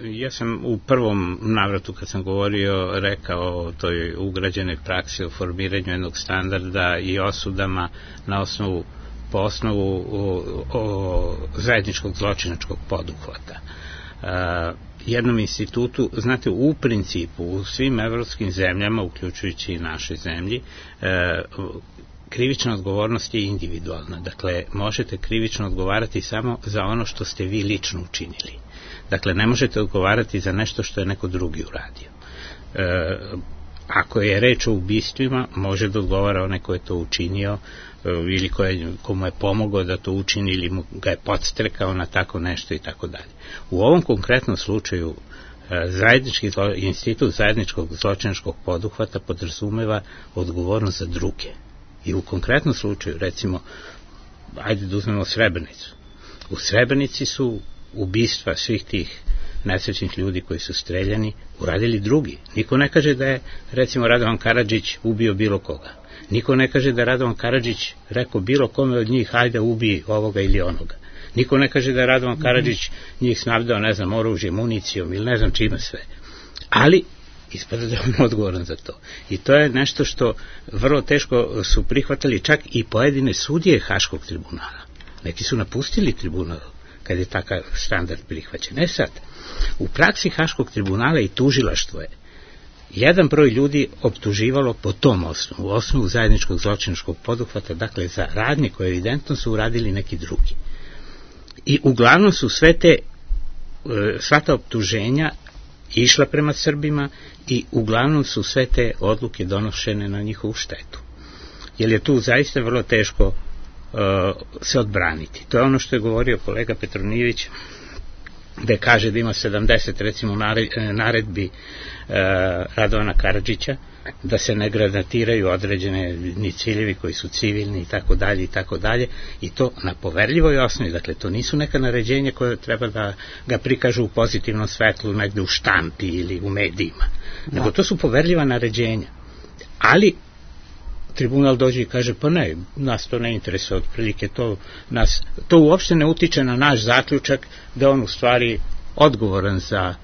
ja sam u prvom navratu kad sam govorio rekao o toj ugrađenoj praksi o formiranju jednog standarda i osudama po osnovu zajedničkog zločinačkog poduhvata. Jednom institutu, znate, u principu u svim evropskim zemljama, uključujući i našoj zemlji, krivična odgovornost je individualna. Dakle, možete krivično odgovarati samo za ono što ste vi lično učinili. Dakle, ne možete odgovarati za nešto što je neko drugi uradio. Ako je reč o ubistvima, može da odgovara onaj ko je to učinio ili komu je pomogao da to učini ili mu ga je podstrekao na tako nešto i tako dalje. U ovom konkretnom slučaju institut zajedničkog zločinačkog poduhvata podrazumeva odgovornost za druge. I u konkretnom slučaju, recimo, ajde da uzmemo Srebrenicu. U Srebrenici su ubistva svih tih nesrećnih ljudi koji su streljani uradili drugi. Niko ne kaže da je, recimo, Radovan Karadžić ubio bilo koga. Niko ne kaže da je Radovan Karadžić rekao bilo kome od njih ajde ubij ovoga ili onoga. Niko ne kaže da je Radovan Karadžić njih snabdeo, ne znam, oružje, municijom ili ne znam čime sve. Ali ispada da je on odgovoran za to. I to je nešto što vrlo teško su prihvatali čak i pojedine sudije Haškog tribunala. Neki su napustili tribunal kad je takav standard prihvaćen. Ne sad, u praksi Haškog tribunala i tužilaštvo je jedan broj ljudi optuživalo po tom osnovu, u osnovu zajedničkog zločinačkog poduhvata, dakle za radnje koje evidentno su uradili neki drugi. I uglavnom su sva ta optuženja išla prema Srbima i uglavnom su sve te odluke donošene na njihovu štetu. Jer je tu zaista vrlo teško se odbraniti. To je ono što je govorio kolega Petronijević, da kaže da ima 70 recimo naredbi Radovana Karadžića, da se ne granatiraju određeni ciljevi koji su civilni i tako dalje i to na poverljivoj osnovi. Dakle, to nisu neka naređenja koje treba da ga prikažu u pozitivnom svetlu negde u štampi ili u medijima, nego to su poverljiva naređenja. Ali tribunal dođe i kaže pa ne, nas to ne interesuje, otprilike to uopšte ne utiče na naš zaključak da on u stvari odgovoran za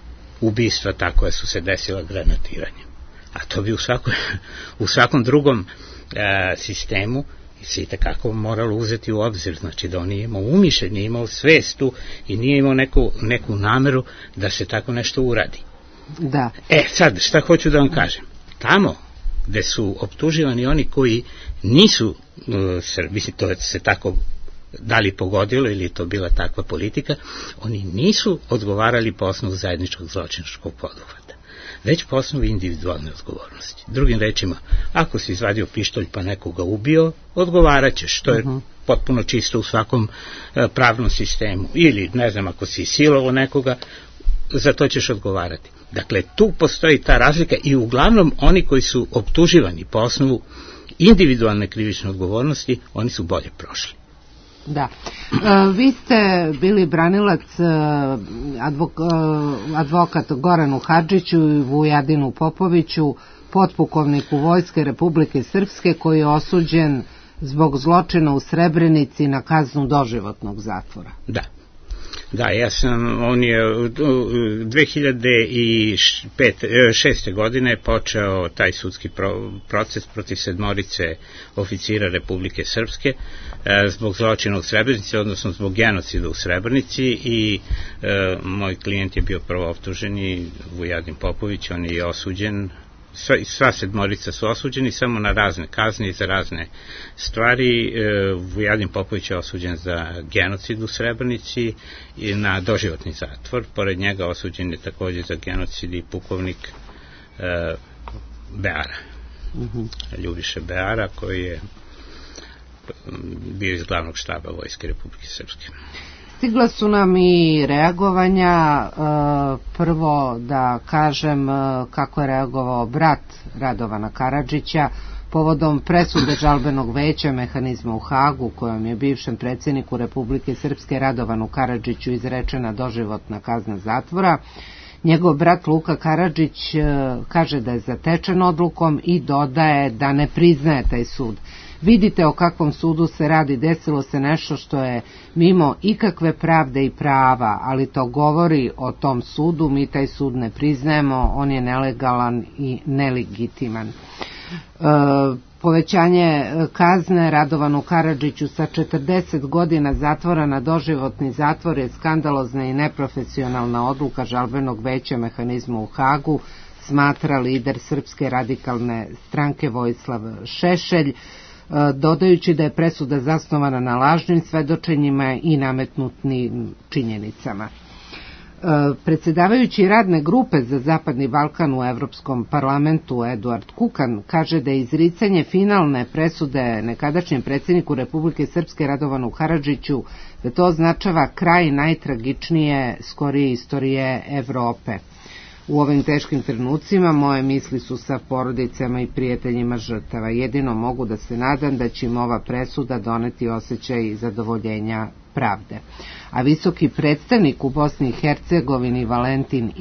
ubistva ta koja su se desila granatiranjem. A to bi u svakom drugom sistemu se i tekako moralo uzeti u obzir, znači da on nije imao umišljaj, nije imao svestu i nije imao neku nameru da se tako nešto uradi. Da. Sad, šta hoću da vam kažem? Tamo gde su optuživani oni koji nisu Srbi, to se tako da li pogodilo ili je to bila takva politika, oni nisu odgovarali po osnovu zajedničkog zločinačkog poduhvata, već po osnovu individualne odgovornosti. Drugim rečima, ako si izvadio pištolj pa nekoga ubio, odgovarat ćeš, što je potpuno čisto u svakom pravnom sistemu. Ili, ne znam, ako si silovo nekoga, za to ćeš odgovarati. Dakle, tu postoji ta razlika i uglavnom oni koji su optuživani po osnovu individualne krivične odgovornosti, oni su bolje prošli. Da. Vi ste bili branilac advokat Goranu Hadžiću i Vujadinu Popoviću, potpukovniku Vojske Republike Srpske, koji je osuđen zbog zločina u Srebrenici na kaznu doživotnog zatvora. Da. Da, on je 2006. godine počeo taj sudski proces protiv 7 oficira Republike Srpske zbog zločina u Srebrenici, odnosno zbog genocida u Srebrenici, i moj klijent je bio prvo optuženi, Vujadin Popović, on je osuđen. Sva 7 su osuđeni samo na razne kazne i za razne stvari. Vujadin Popović je osuđen za genocid u Srebrenici i na doživotni zatvor. Pored njega osuđen je također za genocid i pukovnik Beara, Ljubiša Beara, koji je bio iz glavnog štaba Vojske Republike Srpske. Stigla su nam i reagovanja. Prvo da kažem kako je reagovao brat Radovana Karadžića povodom presude žalbenog veća mehanizma u Hagu, kojom je bivšem predsjedniku Republike Srpske Radovanu Karadžiću izrečena doživotna kazna zatvora. Njegov brat Luka Karadžić kaže da je zatečen odlukom i dodaje da ne priznaje taj sud. Vidite o kakvom sudu se radi, desilo se nešto što je mimo ikakve pravde i prava, ali to govori o tom sudu, mi taj sud ne priznajemo, on je nelegalan i nelegitiman. Povećanje kazne Radovanu Karadžiću sa 40 godina zatvora na doživotni zatvor je skandalozna i neprofesionalna odluka žalbenog veća mehanizma u Hagu, smatra lider Srpske radikalne stranke Vojislav Šešelj, dodajući da je presuda zasnovana na lažnim svedočenjima i nametnutim činjenicama. Predsjedavajući radne grupe za Zapadni Balkan u Evropskom parlamentu Eduard Kukan kaže da je izricanje finalne presude nekadašnjem predsjedniku Republike Srpske Radovanu Karadžiću, da to označava kraj najtragičnije skorije istorije Evrope. U ovim teškim trenucima moje misli su sa porodicama i prijateljima žrtava. Jedino mogu da se nadam da će im ova presuda doneti osjećaj zadovoljenja pravde. A visoki predstavnik u Bosni i Hercegovini Valentin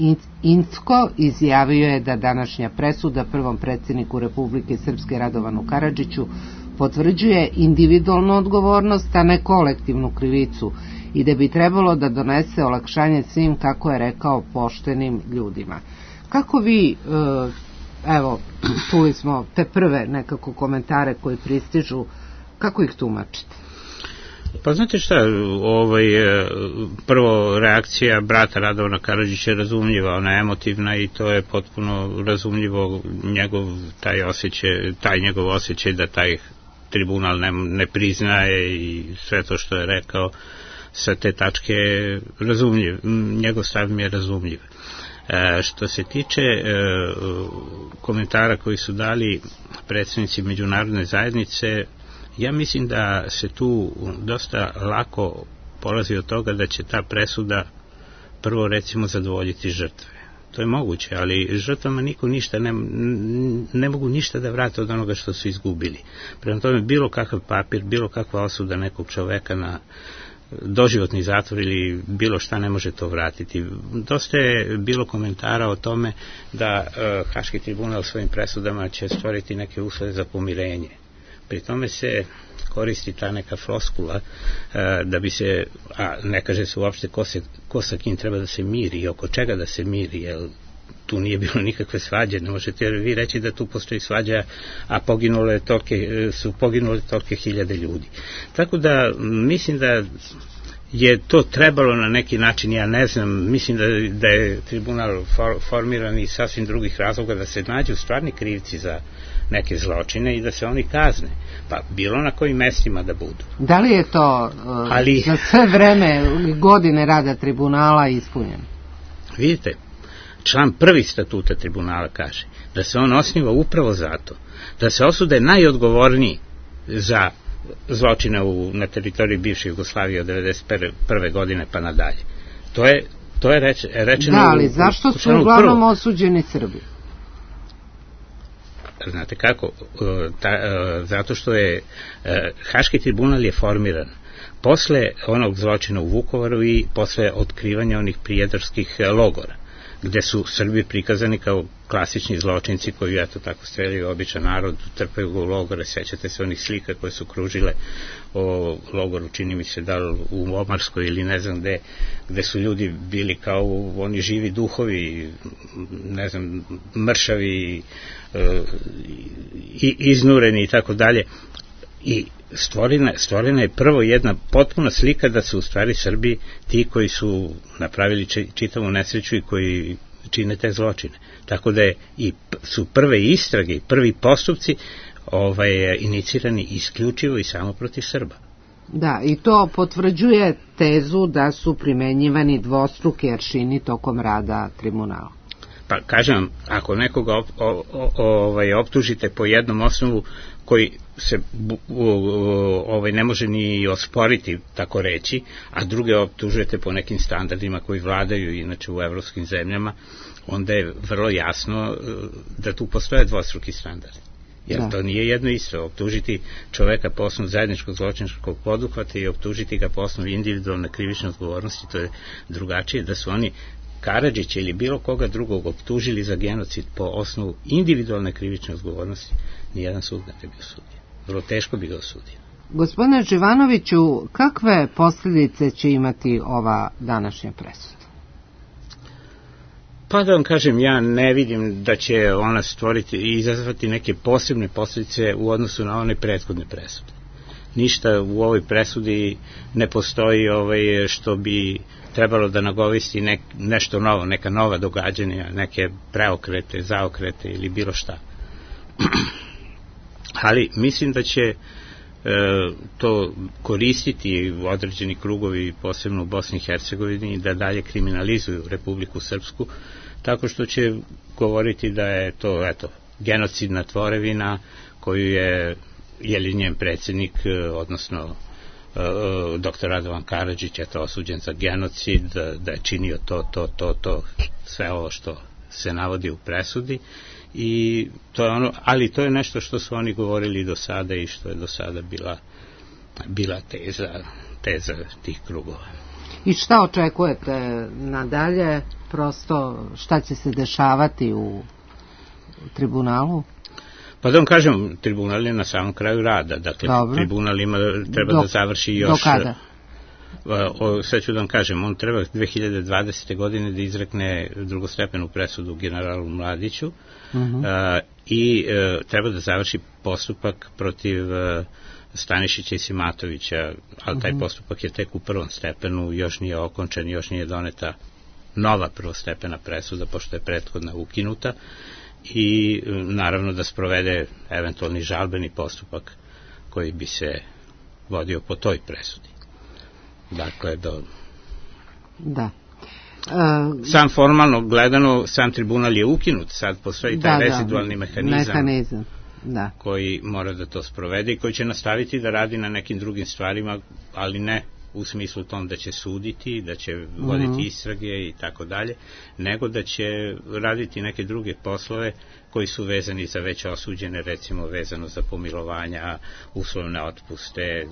Incko izjavio je da današnja presuda prvom predsjedniku Republike Srpske Radovanu Karadžiću potvrđuje individualnu odgovornost, a ne kolektivnu krivicu, i da bi trebalo da donese olakšanje svim, kako je rekao, poštenim ljudima. Kako vi, evo, čuli smo te prve nekako komentare koji pristižu, kako ih tumačite? Pa znate šta, prvo reakcija brata Radovana Karadžića je razumljiva, ona je emotivna i to je potpuno razumljivo, taj njegov osjećaj da taj tribunal ne priznaje i sve to što je rekao sa te tačke razumljiv, njegov stav mi je razumljiv. Što se tiče komentara koji su dali predstavnici međunarodne zajednice, ja mislim da se tu dosta lako polazi od toga da će ta presuda prvo recimo zadovoljiti žrtve. To je moguće, ali žrtvama niko ništa ne mogu ništa da vrate od onoga što su izgubili. Prema tome, bilo kakav papir, bilo kakva osuda nekog čoveka na doživotni zatvor ili bilo šta ne može to vratiti. Dosta je bilo komentara o tome da Haški tribunal svojim presudama će stvoriti neke uslove za pomirenje. Pri tome se koristi ta neka floskula da bi se, a ne kaže se uopšte ko sa kim treba da se miri i oko čega da se miri, jer tu nije bilo nikakve svađe, ne možete vi reći da tu postoji svađa, a su poginule tolike hiljade ljudi. Tako da mislim da je to trebalo na neki način, ja ne znam, mislim da je tribunal formiran iz sasvim drugih razloga, da se nađu stvarni krivci za neke zločine i da se oni kazne, pa bilo na kojim mestima da budu. Da li je to za sve vreme godine rada tribunala ispunjeno? Vidite, član 1. statuta tribunala kaže da se on osniva upravo zato da se osude najodgovorniji za zločine na teritoriji bivše Jugoslavije od 1991. godine pa nadalje. To je rečeno. Da, ali zašto su uglavnom osuđeni Srbi? Znate kako? Zato što je Haški tribunal je formiran posle onog zločina u Vukovaru i posle otkrivanja onih prijedarskih logora. gde su Srbi prikazani kao klasični zločinci koji, eto, tako streljaju običan narod, trpaju ga u logore. Sećate se onih slika koje su kružile o logoru, čini mi se da u Omarskoj ili ne znam gde su ljudi bili kao oni živi duhovi, ne znam, mršavi, iznureni i tako dalje. I stvorena je prvo jedna potpuna slika da su u stvari Srbi ti koji su napravili čitavu nesreću i koji čine te zločine. Tako da su prve istrage i prvi postupci inicirani isključivo i samo protiv Srba. Da, i to potvrđuje tezu da su primenjivani dvostruki aršini tokom rada tribunala. Pa kažem vam, ako nekoga optužite po jednom osnovu koji se ne može ni osporiti, tako reći, a druge optužujete po nekim standardima koji vladaju inače u evropskim zemljama, onda je vrlo jasno da tu postoje dvostruki standardi. Jer to nije jedno isto. Optužiti čoveka po osnovu zajedničkog zločinačkog poduhvata i optužiti ga po osnovu individualne krivične odgovornosti, to je drugačije. Da su oni Karadžića ili bilo koga drugog optužili za genocid po osnovu individualne krivične odgovornosti, nijedan sud ne bi osudio. Vrlo teško bi ga osudio. Gospodine Živanoviću, kakve posljedice će imati ova današnja presuda? Pa da vam kažem, ja ne vidim da će ona stvoriti i izazvati neke posebne posljedice u odnosu na one prethodne presude. Ništa u ovoj presudi ne postoji što bi trebalo da nagovisti nešto novo, neka nova događanja, neke preokrete, zaokrete ili bilo šta. Ali mislim da će to koristiti određeni krugovi, posebno u Bosni i Hercegovini, da dalje kriminalizuju Republiku Srpsku, tako što će govoriti da je to, eto, genocidna tvorevina koju je njen predsjednik, odnosno dr. Radovan Karadžić, je to osuđen za genocid, da je činio to, sve ovo što se navodi u presudi. I to je ono, ali to je nešto što su oni govorili do sada i što je do sada bila teza tih krugova. I šta očekujete nadalje? Prosto šta će se dešavati u tribunalu? Pa da vam kažem, tribunal je na samom kraju rada. Dakle, tribunal treba da završi još... Do kada? Sad ću da vam kažem, on treba 2020. godine da izrekne drugostepenu presudu generalu Mladiću i treba da završi postupak protiv Stanišića i Simatovića, ali taj postupak je tek u prvom stepenu, još nije okončan, još nije doneta nova prvostepena presuda, pošto je prethodna ukinuta, i naravno da sprovede eventualni žalbeni postupak koji bi se vodio po toj presudi. Dakle, Da. Sam formalno gledano, sam tribunal je ukinut, sad postoji taj rezidualni mehanizam koji mora da to sprovede i koji će nastaviti da radi na nekim drugim stvarima, ali ne u smislu tom da će suditi, da će voditi istrage i tako dalje, nego da će raditi neke druge poslove koji su vezani za već osuđene, recimo vezano za pomilovanja, uslovne otpuste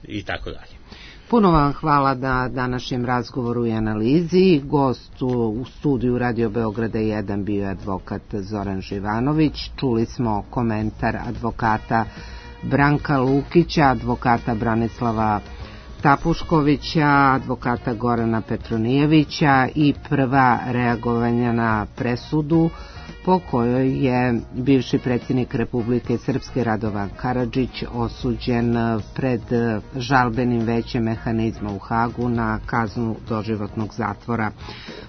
i tako dalje. Puno vam hvala na današnjem razgovoru i analizi. Gost u studiju Radio Beograda 1 bio je advokat Zoran Živanović. Čuli smo komentar advokata Branka Lukića, advokata Branislava Tapuškovića, advokata Gorana Petronijevića i prva reagovanja na presudu po kojoj je bivši predsjednik Republike Srpske Radovan Karadžić osuđen pred žalbenim većem mehanizma u Hagu na kaznu doživotnog zatvora.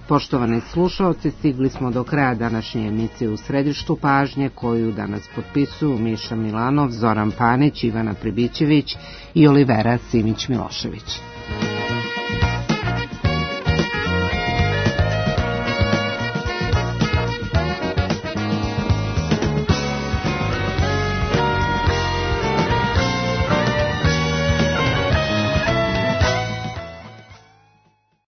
Poštovani slušalci, stigli smo do kraja današnje emisije U središtu pažnje, koju danas potpisuju Miša Milanov, Zoran Panić, Ivana Pribićević i Olivera Simić Milošević.